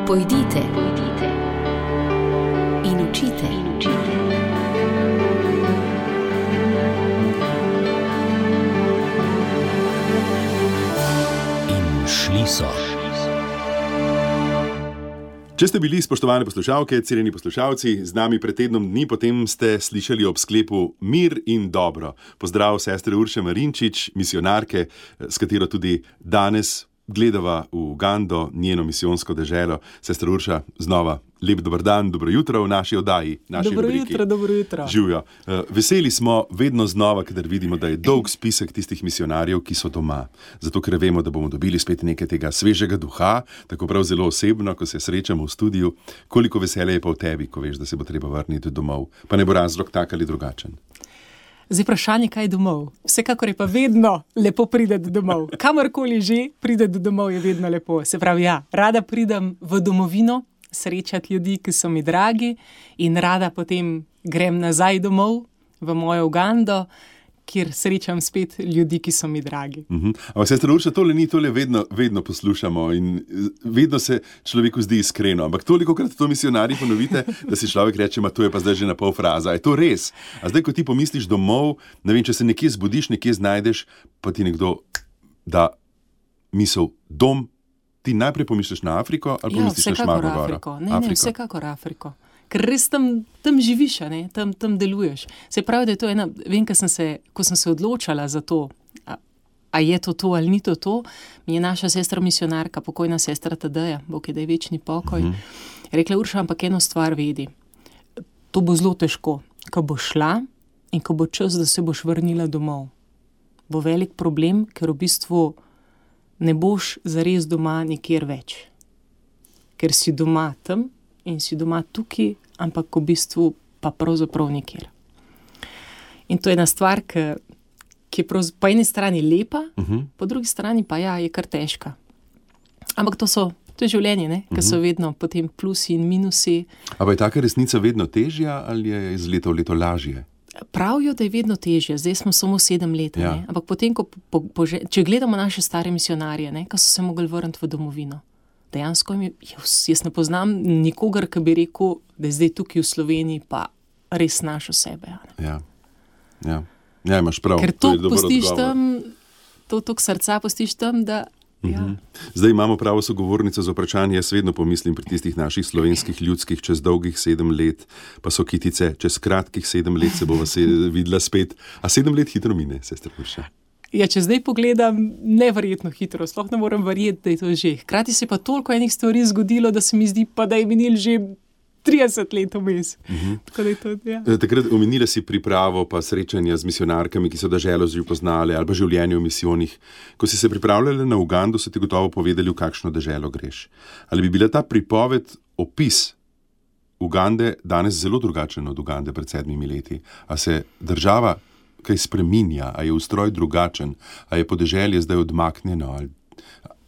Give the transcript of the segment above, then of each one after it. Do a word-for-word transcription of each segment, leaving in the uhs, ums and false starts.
Pojdite, pojdite in učite, in učite. In šli so. Če ste bili, spoštovane poslušalke, cenjeni poslušalci, z nami pred tednom dni, potem ste slišali ob sklepu Mir in dobro. Pozdrav sestre Urše Marinčič, misionarke, s katero tudi danes gledava v Ugando, njeno misijonsko deželo. Sestra Urša, znova lep dober dan, dobro jutro v naši oddaji, naši dobro rubriki. Jutro, dobro jutro. Živjo. Veseli smo vedno znova, kadar vidimo, da je dolg spisek tistih misionarjev, ki so doma. Zato, ker vemo, da bomo dobili spet nekaj tega svežega duha, tako prav zelo osebno, ko se srečamo v studiu. Koliko veselja je pa v tebi, ko veš, da se bo treba vrniti domov. Pa ne bo razlog tak ali drugačen. Zdaj vprašanje, kaj je domov? Vsekakor je pa vedno lepo priti domov. Kamorkoli že priti domov je vedno lepo. Se pravi, ja, rada pridem v domovino, srečati ljudi, ki so mi dragi, in rada potem grem nazaj domov v mojo Ugando, kjer srečam spet ljudi, ki so mi dragi. Uh-huh. Ampak sestra Urša, tole ni, tole vedno, vedno poslušamo in vedno se človeku zdi iskreno. Ampak tolikokrat to misionarji ponovite, da si človek reče, ma to je pa zdaj že na pol fraza. Je to res? A zdaj, ko ti pomisliš domov, ne vem, če se nekje zbudiš, nekje znajdeš, pa ti nekdo da misel dom, ti najprej pomisliš na Afriko ali pomisliš ja, na Šmarno goro? Afriko. Ne, ne, vsekakor Afriko. Ker res tam, tam živiš, ne? Tam, tam deluješ. Se pravi, da je to ena, vem, ko sem se, ko sem se odločala za to, a, a je to to ali ni to to, mi je naša sestra misionarka, pokojna sestra Tadeja, Bog je daj večni pokoj, mm-hmm. rekla, Urša, ampak eno stvar vedi, to bo zelo težko, ko bo šla in ko bo čas, da se boš vrnila domov. Bo velik problem, ker v bistvu ne boš zares doma nikjer več. Ker si doma tam in si doma tukaj, ampak v bistvu pa pravzaprav nikjer. In to je ena stvar, ki, ki je prav, po eni strani lepa, uh-huh. po drugi strani pa ja, je kar težka. Ampak to so, to je življenje, ne? Ker so vedno potem plusi in minusi. A pa je taka resnica vedno težja ali je iz leta v leto lažje? Pravijo, da je vedno težje, zdaj smo samo sedem let, ja. ne? Ampak potem, ko po, po, če gledamo naše stare misionarje, ne? Ko so se mogli vrniti v domovino, dejansko jaz ne poznam nikogar, ki bi rekel, da je zdaj tukaj v Sloveniji pa res našo sebe. Ja, ja. Ja, imaš prav. Ker to postiš tam, to tok srca postiš tam, da ja. Zdaj imamo pravo sogovornico za vprašanje, jaz vedno pomislim pri tistih naših slovenskih ljudskih čez dolgih sedem let, pa so kitice, čez kratkih sedem let se bova se videla spet, a sedem let hitro mine, sestra Urša. Ja, če zdaj pogledam, neverjetno hitro, sploh ne morem verjeti, da je to že. Hkrati se pa toliko enih stvari zgodilo, da se mi zdi pa, da je minil že trideset let vmes. Uh-huh. Tako da je to, ja. Takrat omenila si pripravo pa srečanja z misionarkami, ki so deželo že poznali, ali pa življenje v misijonih. Ko si se pripravljala na Ugando, so ti gotovo povedali, v kakšno deželo greš. Ali bi bila ta pripoved, opis Ugande danes zelo drugačen od Ugande pred sedmimi leti? A se država kaj spreminja, a je ustroj drugačen, a je podeželje zdaj odmaknjeno? Ali...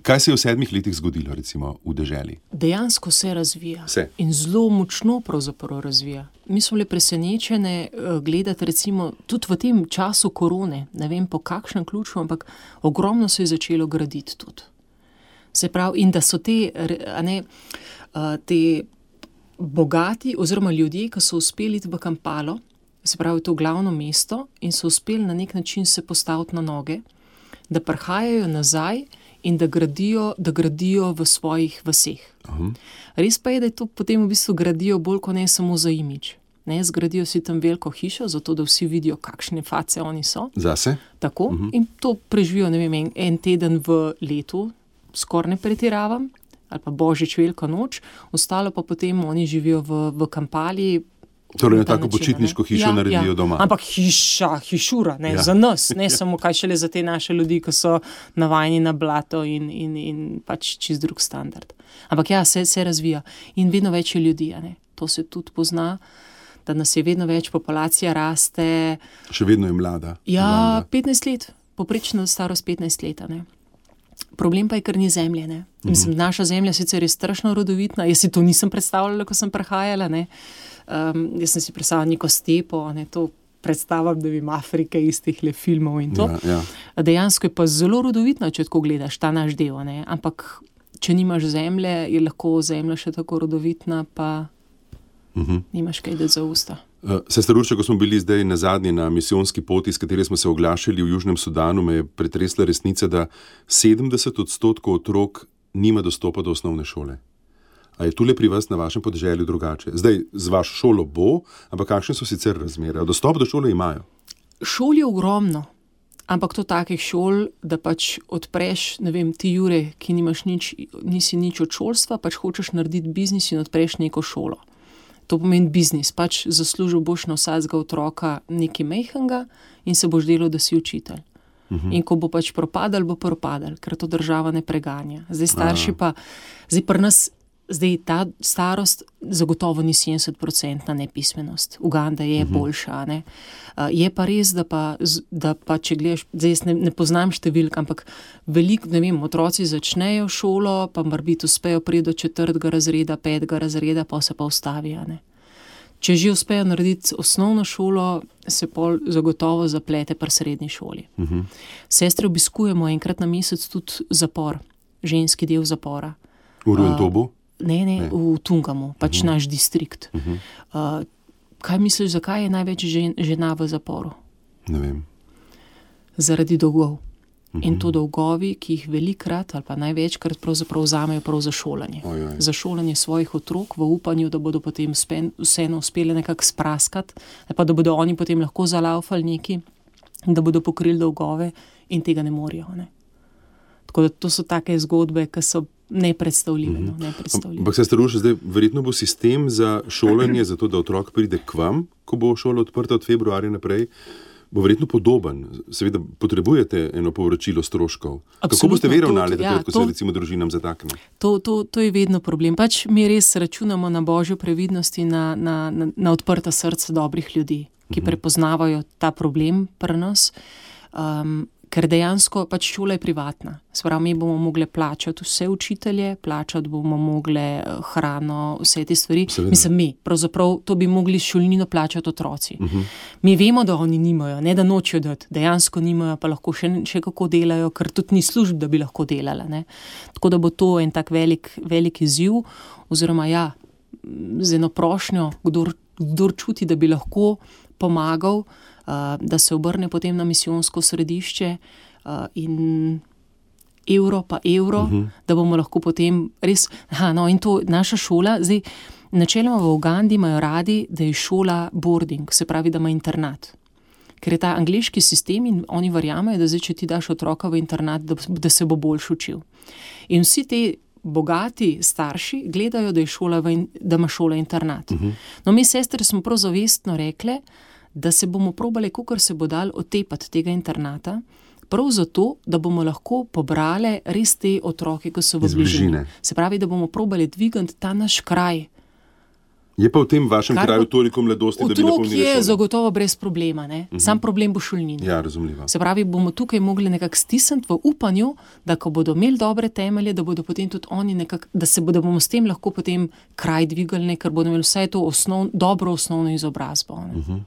Kaj se je v sedmih letih zgodilo, recimo, v deželi? Dejansko se razvija. Se. In zelo močno pravzaprav razvija. Mi smo bili presenečene gledati, recimo, tudi v tem času korone, ne vem po kakšnem ključu, ampak ogromno se je začelo graditi tudi. Se pravi, in da so te, a ne, te bogati oziroma ljudje, ki so uspeli iti v Kampalo, se pravi to glavno mesto, in so uspeli na nek način se postaviti na noge, da prihajajo nazaj in da gradijo, da gradijo v svojih vaseh. Uh-huh. Res pa je, da je to potem v bistvu gradijo bolj kot ne samo za imidž. Ne, zgradijo si tam veliko hišo, zato da vsi vidijo, kakšne face oni so. Zase? Tako. Uh-huh. In to preživijo, ne vem, en, en teden v letu, skoraj ne pretiravam, ali pa božič, velika noč, ostalo pa potem oni živijo v, v Kampali. Torej na tako počitniško hišo ja, naredijo ja. doma. Ampak hiša, hišura, ne, ja. Za nas, ne samo kaj šele za te naše ljudi, ki so navajeni na blato in, in, in pač čist drug standard. Ampak ja, se, se razvija in vedno več je ljudi, ne. To se tudi pozna, da nas je vedno več, populacija raste. Še vedno je mlada. Ja, mlada. petnajst let, poprečno starost petnajst let, ne. Problem pa je, ker ni zemlje, ne. Mislim, naša zemlja sicer je strašno rodovitna, jaz si to nisem predstavljala, ko sem prihajala, ne. Um, jaz sem si predstavljala neko stepo, ne, to predstavljam, da vim Afrike iz teh le filmov in to. Ja, ja. Dejansko je pa zelo rodovitno, če tako gledaš ta naš del, ne, ampak če nimaš zemlje, je lahko zemlja še tako rodovitna, pa uh-huh. nimaš kaj dati za usta. Uh, Sester Urša, ko smo bili zdaj na zadnje na misijonski poti, s kateri smo se oglašali v Južnem Sudanu, me je pretresla resnica, da sedemdeset odstotkov otrok nima dostopa do osnovne šole. A je tule pri vas na vašem podeželju drugače? Zdaj, z vašo šolo bo, ampak kakšne so sicer razmere? Dostop do šole imajo? Šol je ogromno, ampak to takih šol, da pač odpreš, ne vem, ti Jure, ki nimaš nič, nisi nič od šolstva, pač hočeš narediti biznis in odpreš neko šolo. To pomeni biznis, pač zaslužil boš na vsakega otroka nekaj mejhnega in se boš delal, da si učitelj. Uh-huh. In ko bo pač propadal, bo propadal, ker to država ne preganja. Zdaj starši pa, zdaj pri nas, zdaj ta starost zagotovo ni sedemdeset procentna nepismenost. Uganda je uh-huh. boljša, ne. Uh, je pa res, da pa, da pa če gledaš, zdaj jaz ne, ne poznam številk, ampak veliko, ne vem, otroci začnejo šolo, pa morbiti uspejo priti do četrtega razreda, petega razreda, pa se pa ustavijo, ne. Če že uspejo narediti osnovno šolo, se pol zagotovo zaplete pri srednji šoli. Uh-huh. Sestre obiskujemo enkrat na mesec tudi zapor, ženski del zapora. V Ruentobu? Uh, Ne, ne, ne, v Tungamu, pač uh-huh. naš distrikt. Uh-huh. Uh, kaj misliš, zakaj je največ žen, žena v zaporu? Ne vem. Zaradi dolgov. Uh-huh. In to dolgovi, ki jih velikrat ali pa največkrat pravzaprav vzamejo prav za šolanje. Ojoj. Za šolanje svojih otrok v upanju, da bodo potem spen, vseeno uspeli nekako spraskati, pa da bodo oni potem lahko zalaufali neki, da bodo pokrili dolgove in tega ne morejo. Ne? Tako da to so take zgodbe, ki so nepredstavljive. Mm-hmm. no, nepredstavljive. Ampak se staruša, zdaj verjetno bo sistem za šolanje, za to, da otrok pride k vam, ko bo šola odprta od februarja naprej, bo verjetno podoben. Seveda potrebujete eno povračilo stroškov. Absolutno, kako boste vi ravnali, ja, ko se recimo družinam zatakne? To, to, to je vedno problem. Pač mi res računamo na božjo previdnost in na, na, na, na odprta srca dobrih ljudi, ki mm-hmm. prepoznavajo ta problem pri nas. Um, Ker dejansko pač šola je privatna. Sprav, mi bomo mogli plačati vse učitelje, plačati bomo mogli hrano, vse te stvari. Seveda. Mislim, mi, pravzaprav to bi mogli šolnino plačati otroci. Uh-huh. Mi vemo, da oni nimajo, ne da nočejo dati, dejansko nimajo, pa lahko še, še kako delajo, ker tudi ni služb, da bi lahko delala. Ne? Tako da bo to en tak velik, velik izziv, oziroma ja, z eno prošnjo, kdor, kdor čuti, da bi lahko pomagal, Uh, da se obrne potem na misijonsko središče uh, in evro pa evro, uh-huh. da bomo lahko potem res, aha, no in to naša šola, zdaj načeloma v Ugandi imajo radi, da je šola boarding, se pravi, da ima internat. Ker je ta angleški sistem in oni verjamejo, da zdaj, če ti daš otroka v internat, da, da se bo boljš učil. In vsi te bogati starši gledajo, da, je šola v, da ima šola internat. Uh-huh. No, mi sestre smo prav zavestno rekle, da se bomo probali, kakor se bo dal otepati tega internata, prav zato, da bomo lahko pobrali res te otroke, ki so v bližini. Se pravi, da bomo probali dvigati ta naš kraj. Je pa v tem vašem Kar kraju toliko mladosti, da bi otrok napolnili je šolo? Zagotovo brez problema, ne? Uh-huh. Sam problem bo šolnina. Ja, razumljivo. Se pravi, bomo tukaj mogli nekako stisniti v upanju, da ko bodo imeli dobre temelje, da bodo potem tudi oni nekako, da se bodo bomo s tem lahko potem kraj dvigali, ker bodo imeli vse to osnov, dobro osnovno izobrazbo. Uh-huh.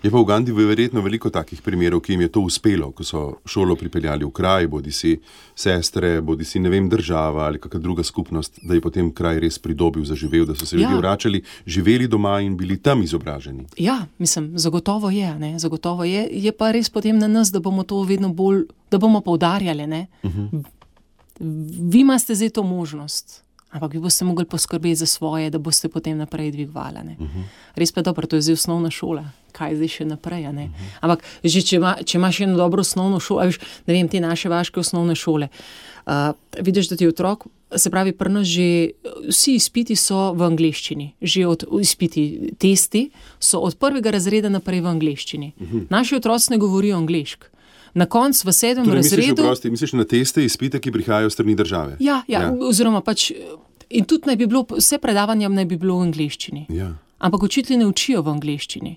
Je pa v Ugandi verjetno veliko takih primerov, ki jim je to uspelo, ko so šolo pripeljali v kraj, bodi si sestre, bodi si, ne vem, država ali kakšna druga skupnost, da je potem kraj res pridobil, zaživel, da so se ljudje ja. vračali, živeli doma in bili tam izobraženi. Ja, mislim, zagotovo je, ne, zagotovo je, je pa res potem na nas, da bomo to vedno bolj, da bomo poudarjali, ne. Uh-huh. Vi imate zdaj to možnost, ampak vi boste mogli poskrbeti za svoje, da boste potem naprej dvigovali. Uh-huh. Res pa je dobro, to je zdaj osnovna šola. Kaj zdaj še naprej, ne? Uh-huh. Ampak že če, ima, če imaš eno dobro osnovno šolo, viš, ne vem, te naše vaške osnovne šole, uh, vidiš, da ti otrok, se pravi, pri nas že vsi izpiti so v angleščini, že od izpiti, testi so od prvega razreda naprej v angleščini. Uh-huh. Naši otroci ne govorijo angleško. Na koncu v sedmem torej, razredu... Misliš, prosti, misliš na teste, izpite, ki prihajajo v strani države? Ja, ja, ja, oziroma pač, in tudi naj bi bilo, vse predavanja naj bi bilo v angleščini. Ja. Ampak učitelji ne učijo v angleščini.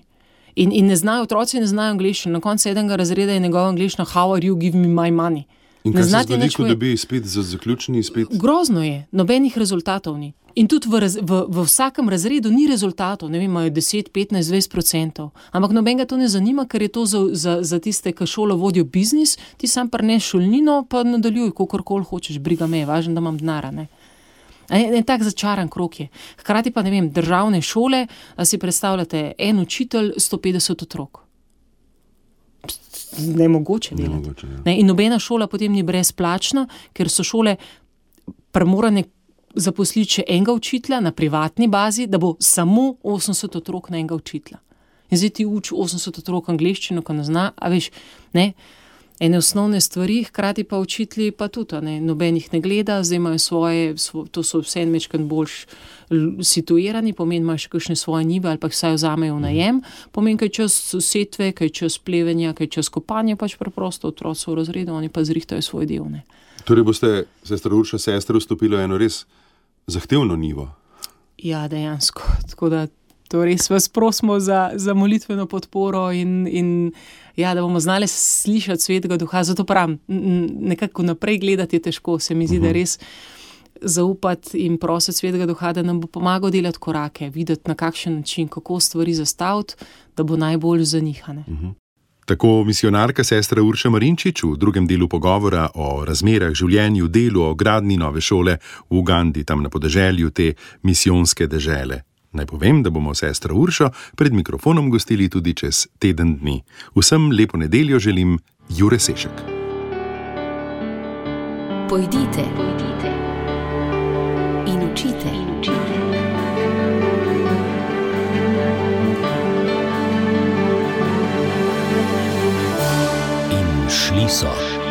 In, in ne znajo, otroci ne znajo angleščino. Na koncu sedmega razreda je njegova angleščina how are you, give me my money. In Ne kaj se znati zgodi, nič ko povedati. dobi izpit za zaključni izpit? Grozno je, nobenih rezultatov ni. In tudi v, raz, v, v vsakem razredu ni rezultatov, ne vem, imajo deset, petnajst, dvajset procentov. Ampak nobenega to ne zanima, ker je to za, za, za tiste, ki šolo vodijo biznis, ti sam prneš šolnino, pa nadaljuj, kakorkoli hočeš, briga me, važno, da imam denara, ne. En, en tak začaran krog je. Hkrati pa, ne vem, državne šole, a si predstavljate, en učitelj, sto petdeset otrok. Nemogoče delati. Nemogoče, ja. Ne, in nobena šola potem ni brezplačna, ker so šole primorane zaposliti še enega učitelja na privatni bazi, da bo samo osemdeset otrok na enega učitelja. In zdaj ti uči osemdeset otrok angleščino, ko ne zna, a veš, ne, ene osnovne stvari, hkrati pa učitelji pa tudi, ne, noben jih ne gleda, zdaj imajo svoje, svo, to so vse mečkrat boljš situirani, pomeni imajo še kakšne svoje njive ali pa jih vsaj vzamejo v najem, pomeni, kaj čas setve, kaj čas plevenja, kaj čas kopanja, pač preprosto otroci v razredu, oni pa zrihtajo svoj del, ne. Torej boste, sestra Urša, sestre vstopili v eno res zahtevno nivo. Ja, dejansko, tako da to res vas prosimo za, za molitveno podporo in, in ja, da bomo znali slišati Svetega Duha. Zato pravim, nekako naprej gledati je težko, se mi zdi, uh-huh. da res zaupati in prositi Svetega Duha, da nam bo pomagal delati korake, videti na kakšen način, kako stvari zastaviti, da bo najbolj za njih. Uh-huh. Tako misionarka sestra Urša Marinčič v drugem delu pogovora o razmerah, življenju, delu, o gradnji nove šole v Ugandi, tam na podeželju te misijonske dežele. Naj povem, da bomo sestro Uršo pred mikrofonom gostili tudi čez teden dni. Vsem lepo nedeljo želim Jure Sešek. Pojdite, pojdite in učite, in učite. In šli so.